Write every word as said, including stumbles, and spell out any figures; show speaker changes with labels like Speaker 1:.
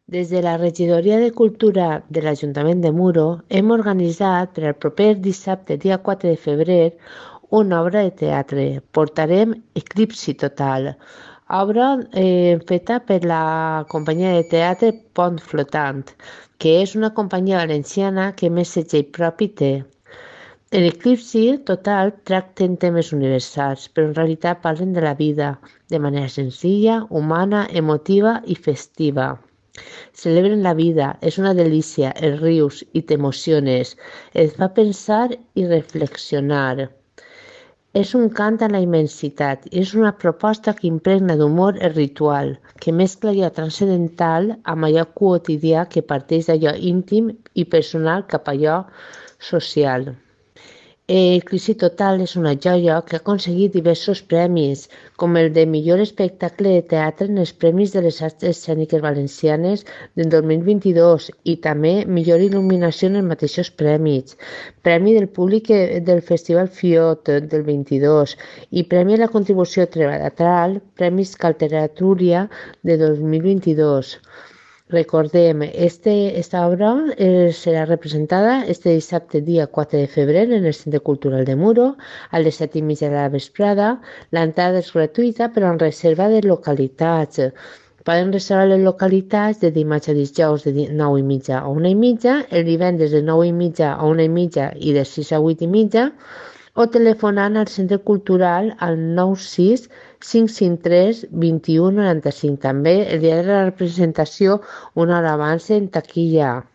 Speaker 1: Des de la Regidoria de Cultura de l'Ajuntament de Muro hem organitzat per al proper dissabte, dia quatre de febrer, una obra de teatre. Portarem Eclipsi Total, obra eh, feta per la companyia de teatre Pont Flotant, que és una companyia valenciana que més segell propi té. L'eclipsi total tracten temes universals, però en realitat parlen de la vida, de manera senzilla, humana, emotiva i festiva. Celebren la vida, és una delícia, els rius i t'emociones, et fa pensar i reflexionar. És un cant a la immensitat i és una proposta que impregna d'humor el ritual, que mescla allò transcendental amb allò quotidià que parteix d'allò íntim i personal cap a allò social. Eh, Crisi Total és una joia que ha aconseguit diversos premis, com el de millor espectacle de teatre en els Premis de les Arts Escèniques Valencianes del dos mil vint-i-dos i també millor il·luminació en els mateixos premis, Premi del Públic del Festival Fiot del vint-i-dos i Premi a la Contribució Teatral, Premis Calteratúria de dos mil vint-i-dos. Recordem, este, esta obra eh, serà representada este dissabte dia quatre de febrer en el Centre Cultural de Muro a les set i mitja de la vesprada. L'entrada és gratuïta però en reserva de localitats. Poden reservar les localitats de dimarts a dijous de nou i mitja a una i mitja, el divendres de nou i mitja a una i mitja i de sis a vuit i mitja, o telefonant al Centre Cultural al nou sis cinc cinc tres dos u nou cinc. També el dia de la representació una hora abans en taquilla.